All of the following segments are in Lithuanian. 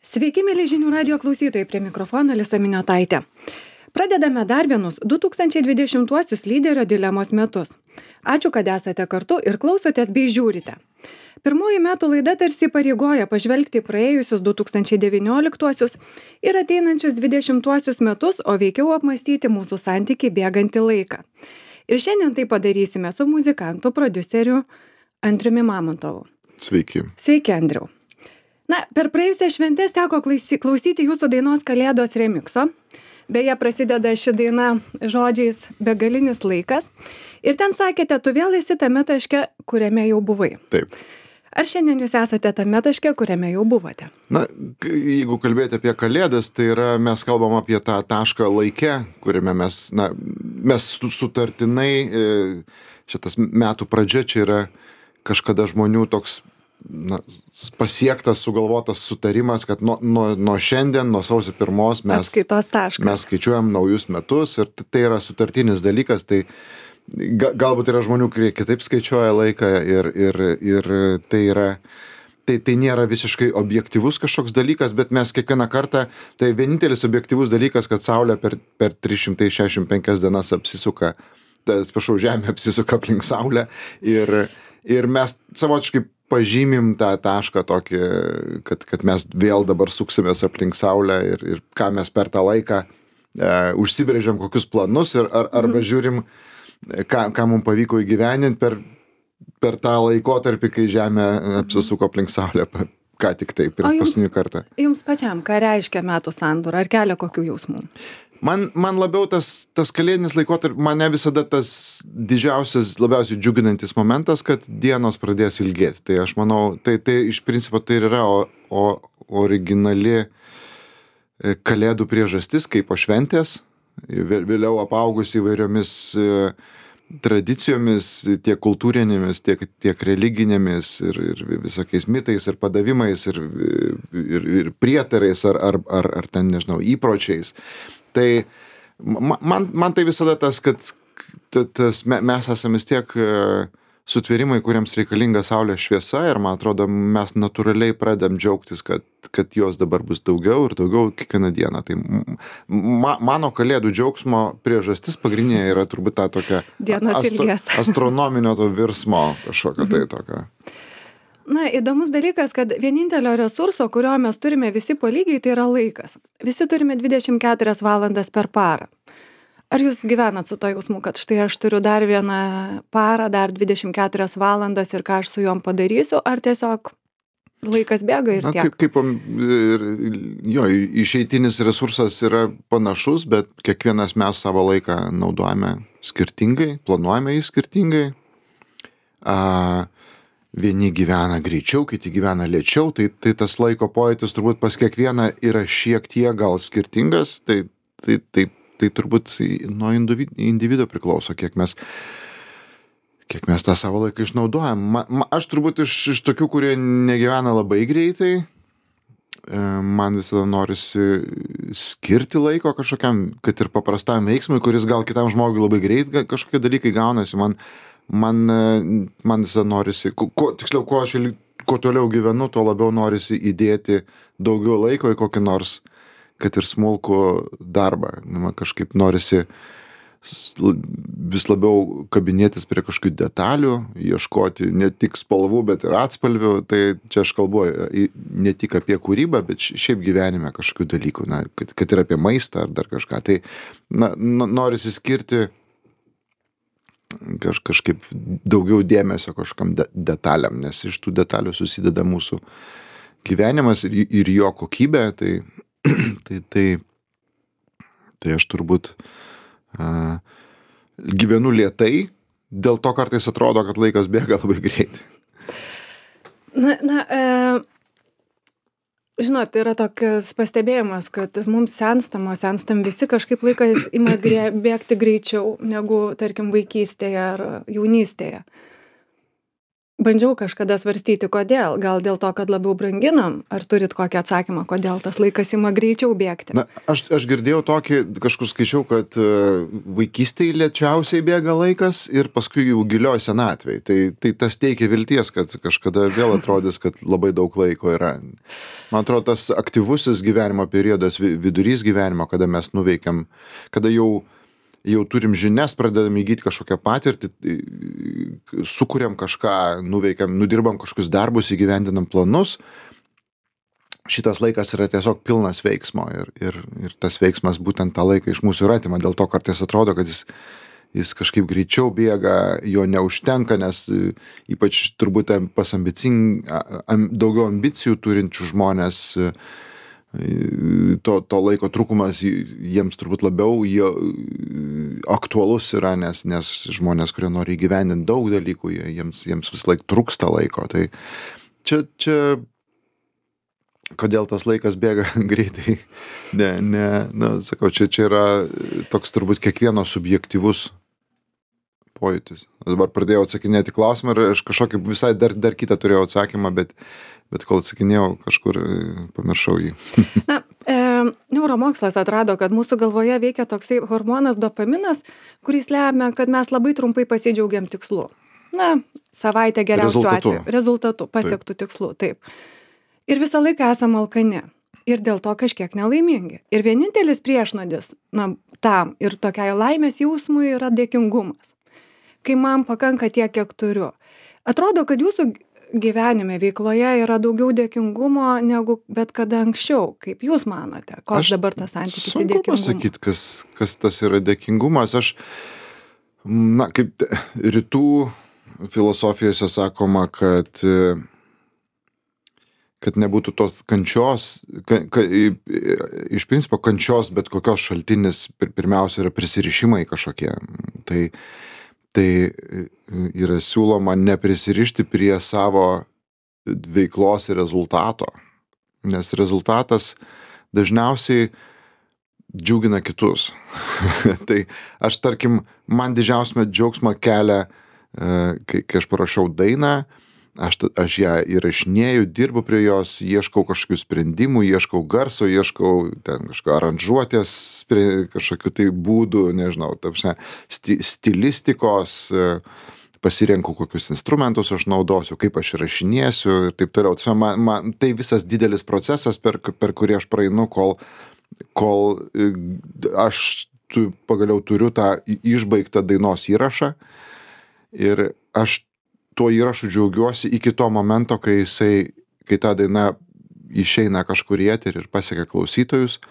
Sveiki, mėly žinių radio klausytojai, prie mikrofono Alisa Miniotaitė. Pradedame dar vienus 2020 lyderio dilemos metus. Ačiū, kad esate kartu ir klausotės bei žiūrite. Pirmoji metų laida tarsi pareigoja pažvelgti į praėjusius 2019 ir ateinančius 2020 metus, o veikiau apmąstyti mūsų santykį bėgantį laiką. Ir šiandien tai padarysime su muzikantu, prodiuseriu Andriumi Mamontovu. Sveiki. Sveiki, Andriau. Na, per praėjusią šventės teko klausyti jūsų dainos Kalėdos remikso. Beje, prasideda ši daina žodžiais begalinis laikas. Ir ten sakėte, tu vėl esi tame taške, kuriame jau buvai. Taip. Ar šiandien jūs esate tame taške, kuriame jau buvote? Na, jeigu kalbėti apie Kalėdas, tai mes kalbam apie tą tašką laike, kuriame mes sutartinai, šitas metų pradžia čia yra kažkada žmonių toks pasiektas, sugalvotas sutarimas, kad nuo šiandien, nuo sausio 1 mes skaičiuojam naujus metus ir tai yra sutartinis dalykas, tai galbūt yra žmonių, kurie kitaip skaičiuoja laiką ir tai yra, tai nėra visiškai objektyvus kažkoks dalykas, bet mes kiekvieną kartą, tai vienintelis objektyvus dalykas, kad Saulė per 365 dienas apsisuka, Žemė apsisuka aplink Saulę ir mes savotiškai pažymim tą tašką tokį, kad mes vėl dabar suksimės aplink Saulę ir ką mes per tą laiką užsibrėžiam kokius planus arba žiūrim, ką mums pavyko įgyvendinti per tą laikotarpį, kai Žemė apsisuko aplink Saulę, ką tik taip ir paskutinį kartą. Jums pačiam, ką reiškia metų sandūra, ar kelia kokių jausmų? Man labiau tas kalėdinis laikotarpis, mane visada tas didžiausias, labiausiai džiuginantis momentas, kad dienos pradės ilgėti. Tai aš manau, tai iš principo tai yra originali kalėdų priežastis, kaip po šventės, vėliau apaugus įvairiomis tradicijomis, tiek kultūrinėmis, tiek religinėmis ir visokiais mitais ir padavimais ir prietarais ar ten, nežinau, įpročiais. Tai man tai visada tas, kad mes esame vis tiek sutvėrimai, kuriems reikalinga Saulės šviesa ir man atrodo, mes natūraliai pradedam džiaugtis, kad jos dabar bus daugiau ir daugiau kiekvieną dieną. Tai mano kalėdų džiaugsmo priežastis pagrindinė yra turbūt ta tokia astronominio to virsmo kažkokio tai tokio. Na, įdomus dalykas, kad vienintelio resurso, kurio mes turime visi po lygiai, tai yra laikas. Visi turime 24 valandas per parą. Ar jūs gyvenat su to jausmu, kad štai aš turiu dar vieną parą, dar 24 valandas ir ką aš su juom padarysiu, ar tiesiog laikas bėga ir tiek? Jo, išeitinis resursas yra panašus, bet kiekvienas mes savo laiką naudojame skirtingai, planuojame jį skirtingai. Vieni gyvena greičiau, kiti gyvena lėčiau, tai tas laiko pojūtis turbūt pas kiekvieną yra šiek tiek gal skirtingas, tai turbūt nuo individo priklauso, kiek mes tą savo laiką išnaudojam. Aš turbūt iš tokių, kurie negyvena labai greitai, man visada norisi skirti laiko kažkokiam, kad ir paprastam veiksmui, kuris gal kitam žmogui labai greit kažkokie dalykai gaunasi, man visada norisi, kuo toliau gyvenu, tuo labiau norisi įdėti daugiau laiko į kokį nors, kad ir smulkų darbą. Man kažkaip norisi vis labiau kabinėtis prie kažkokių detalių, ieškoti ne tik spalvų, bet ir atspalvių. Tai čia aš kalbu ne tik apie kūrybą, bet šiaip gyvenime kažkokių dalykų, kad ir apie maistą ar dar kažką. Tai norisi skirti kažkaip daugiau dėmesio kažkam detaliam, nes iš tų detalių susideda mūsų gyvenimas ir jo kokybė, tai aš turbūt gyvenu lėtai, dėl to kartais atrodo, kad laikas bėga labai greitai. Žinot, yra tokias pastebėjimas, kad mums senstam visi kažkaip laikas ima bėgti greičiau negu, tarkim, vaikystėje ar jaunystėje. bandžiau kažkada svarstyti, kodėl. Gal dėl to, kad labiau branginam? Ar turit kokį atsakymą, kodėl tas laikas ima greičiau bėgti? Na, aš girdėjau tokį, kažkur skaičiau, kad vaikystėje lėčiausiai bėga laikas ir paskui jau gilioj senatvėj. Tai tas teikia vilties, kad kažkada vėl atrodys, kad labai daug laiko yra. Man atrodo, tas aktyvusis gyvenimo periodas, vidurys gyvenimo, kada mes nuveikiam, kada jau turim žinias, pradedam įgyti kažkokią patirtį, sukuriam kažką, nuveikiam, nudirbam kažkokius darbus, įgyvendinam planus. Šitas laikas yra tiesiog pilnas veiksmo ir tas veiksmas būtent tą laiką iš mūsų ir atima. Dėl to kartais atrodo, kad jis kažkaip greičiau bėga, jo neužtenka, nes ypač turbūt pas daugiau ambicijų turinčių žmonės to laiko trūkumas jiems turbūt labiau aktualus yra, nes žmonės, kurie nori įgyvendinti daug dalykų, jiems vis laik trūksta laiko. Tai čia kodėl tas laikas bėga greitai, sakau, čia yra toks turbūt kiekvieno subjektyvus pojūtis. Dabar pradėjau atsakinėti klausimą ir aš kažkokį visai dar kitą turėjau atsakymą, bet kol atsakinėjau, kažkur pamiršau jį. Na, neuromokslas atrado, kad mūsų galvoje veikia toksai hormonas dopaminas, kuris lemia, kad mes labai trumpai pasidžiaugiam tikslu. Na, savaitę geriausiu atveju. Rezultatu pasiektų tikslu, taip. Ir visą laiką esame alkani. Ir dėl to kažkiek nelaimingi. Ir vienintelis priešnodis tam ir tokiai laimės jausmui yra dėkingumas. Kai man pakanka tiek, kiek turiu. Atrodo, kad jūsų gyvenime, veikloje yra daugiau dėkingumo negu bet kada anksčiau. Kaip jūs manote? Koks dabar tas santykis į dėkingumą? Sunku pasakyti, kas tas yra dėkingumas. Kaip rytų filosofijose sakoma, kad nebūtų tos kančios, iš principo kančios, bet kokios šaltinis pirmiausia yra prisirišimai kažkokie. Tai yra siūloma neprisirišti prie savo veiklos ir rezultato, nes rezultatas dažniausiai džiugina kitus. Tai aš, tarkim, man didžiausią džiaugsmą kelia, kai aš parašau dainą, aš ją įrašinėju, dirbu prie jos, ieškau kažkokių sprendimų, ieškau garso, ieškau ten kažko aranžuotės, kažkokių tai būdų, nežinau, stilistikos, pasirenku kokius instrumentus aš naudosiu, kaip aš įrašinėsiu ir taip toliau. Tai visas didelis procesas, per kurį aš praeinu, kol aš pagaliau turiu tą išbaigtą dainos įrašą ir aš tuo įrašu džiaugiuosi iki to momento, kai ta daina išeina kažkur į eterį ir pasiekia klausytojus.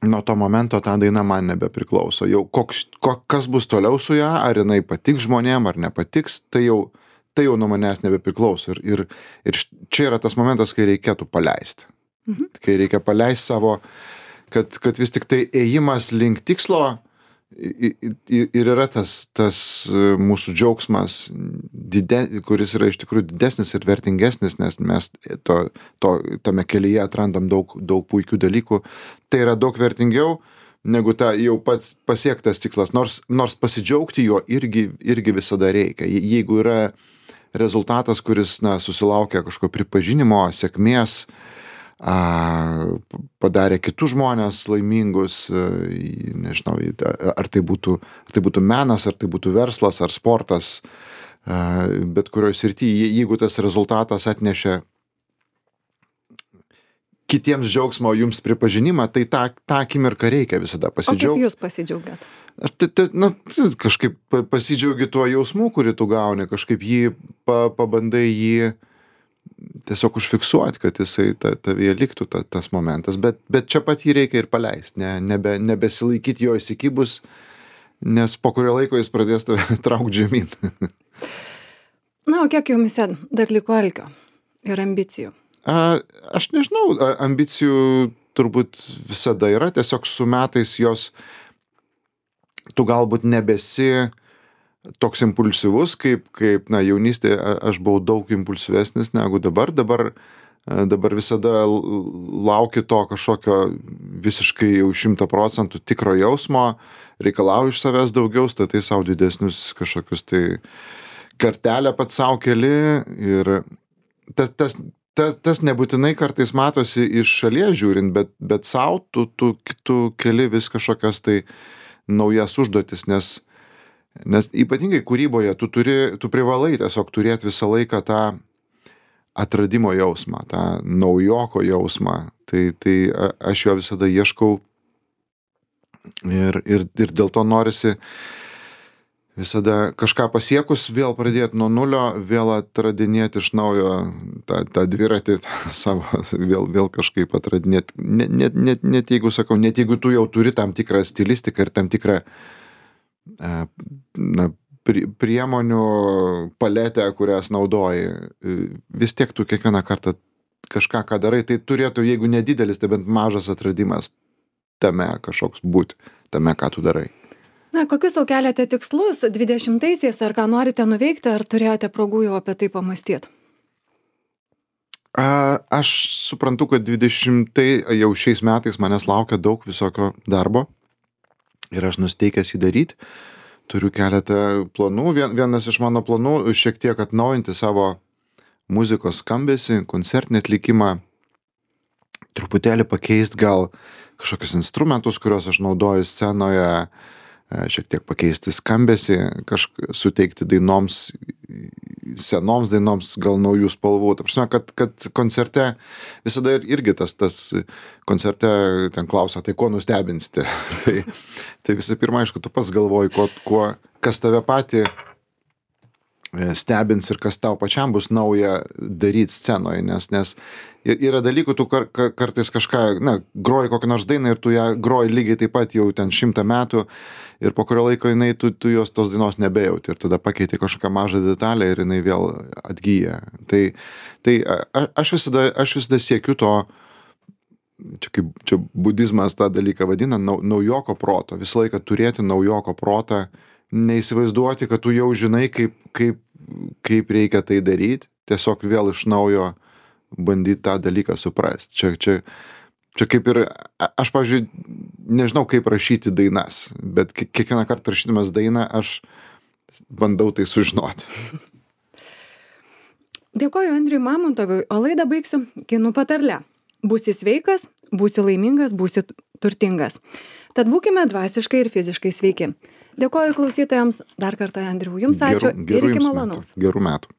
Nuo to momento ta daina man nebepriklauso. Jau kas bus toliau su ją, ar jinai patiks žmonėm, ar nepatiks, tai jau nuo manęs nebepriklauso. Ir čia yra tas momentas, kai reikėtų paleisti. Kai reikia paleisti savo, kad vis tik tai ėjimas link tikslo ir yra tas mūsų džiaugsmas, kuris yra iš tikrųjų didesnis ir vertingesnis, nes mes tame kelyje atrandam daug puikių dalykų. Tai yra daug vertingiau negu ta jau pats pasiektas tikslas, nors pasidžiaugti jo irgi visada reikia. Jeigu yra rezultatas, kuris susilaukia kažko pripažinimo, sėkmės, padarė kitus žmonės laimingus, nežinau, ar tai būtų menas, ar tai būtų verslas, ar sportas, bet kurioje srityje, jeigu tas rezultatas atnešė kitiems džiaugsmo, jums pripažinimą, tai tą akimirką reikia visada pasidžiaugti. O kaip jūs pasidžiaugiat? Kažkaip pasidžiaugi tuo jausmu, kurį tu gauni, kažkaip pabandai jį tiesiog užfiksuoti, kad jisai tavyje liktų tas momentas, bet čia pat jį reikia ir paleisti, nebesilaikyti jo įsikibus, nes po kurio laiko jis pradės tave traukti žemyn. Na, o kiek jumise dar liko alkio ir ambicijų? Aš nežinau, ambicijų turbūt visada yra, tiesiog su metais jos, tu galbūt nebesi toks impulsyvus, kaip jaunystėje aš buvau daug impulsyvesnis negu dabar. Dabar visada lauki to kažkokio visiškai jau 100% tikro jausmo, reikalauju iš savęs daugiau, statai savo didesnius kažkokius tai kartelę pats sau keli ir tas nebūtinai kartais matosi iš šalies žiūrint, bet sau tu keli vis kažkokias tai naujas užduotis, nes ypatingai kūryboje tu privalai tiesiog turėti visą laiką tą atradimo jausmą, tą naujoko jausmą. Tai aš jo visada ieškau ir dėl to norisi visada kažką pasiekus vėl pradėti nuo nulio, vėl atradinėti iš naujo tą dviratį savo, vėl kažkaip atradinėti. Net jeigu sakau, net jeigu tu jau turi tam tikrą stilistiką ir tam tikrą priemonių paletę, kurias naudoji, vis tiek tu kiekvieną kartą kažką, ką darai, tai turėtų, jeigu nedidelis, tai bent mažas atradimas tame kažkoks būti, tame, ką tu darai. Na, kokius sau keliate tikslus 20-aisiais, ar ką norite nuveikti, ar turėjote progų jau apie tai pamastyti? Aš suprantu, kad 20 jau šiais metais manęs laukia daug visokio darbo ir aš nusteikęs jį daryti. Turiu keletą planų. Vienas iš mano planų šiek tiek atnaujinti savo muzikos skambesį, koncertinį atlikimą, truputėlį pakeisti gal kažkokius instrumentus, kuriuos aš naudoju scenoje, šiek tiek pakeisti skambesį, suteikti dainoms, senoms dainoms gal naujų spalvų. Ta prasme, kad koncerte visada irgi tas koncerte ten klausia, tai ko nustebinsite? tai visų pirma, aišku, tu pats galvoji, kas tave patį stebins ir kas tau pačiam bus nauja daryti scenoje, nes yra dalykų, tu kartais kažką, groji kokią nors dainą ir tu ją groji lygiai taip pat jau ten 100 metų ir po kurio laiko tu jos tos dainos nebejauti ir tada pakeiti kažkokią mažą detalę ir jinai vėl atgyja. Tai aš visada siekiu to, čia budizmas tą dalyką vadina, naujoko proto, visą laiką turėti naujoko protą, neįsivaizduoti, kad tu jau žinai, kaip reikia tai daryti, tiesiog vėl iš naujo bandyti tą dalyką suprasti. Čia kaip ir, aš, pavyzdžiui, nežinau, kaip rašyti dainas, bet kiekvieną kartą rašydamas dainą, aš bandau tai sužinoti. Dėkoju Andriui Mamontovui, o laidą baigsiu kinų patarle. Būsi sveikas, būsi laimingas, būsi turtingas. Tad būkime dvasiškai ir fiziškai sveiki. Dėkoju klausytojams dar kartą, Andriau, jums ačiū ir iki malonaus. Gerų metų.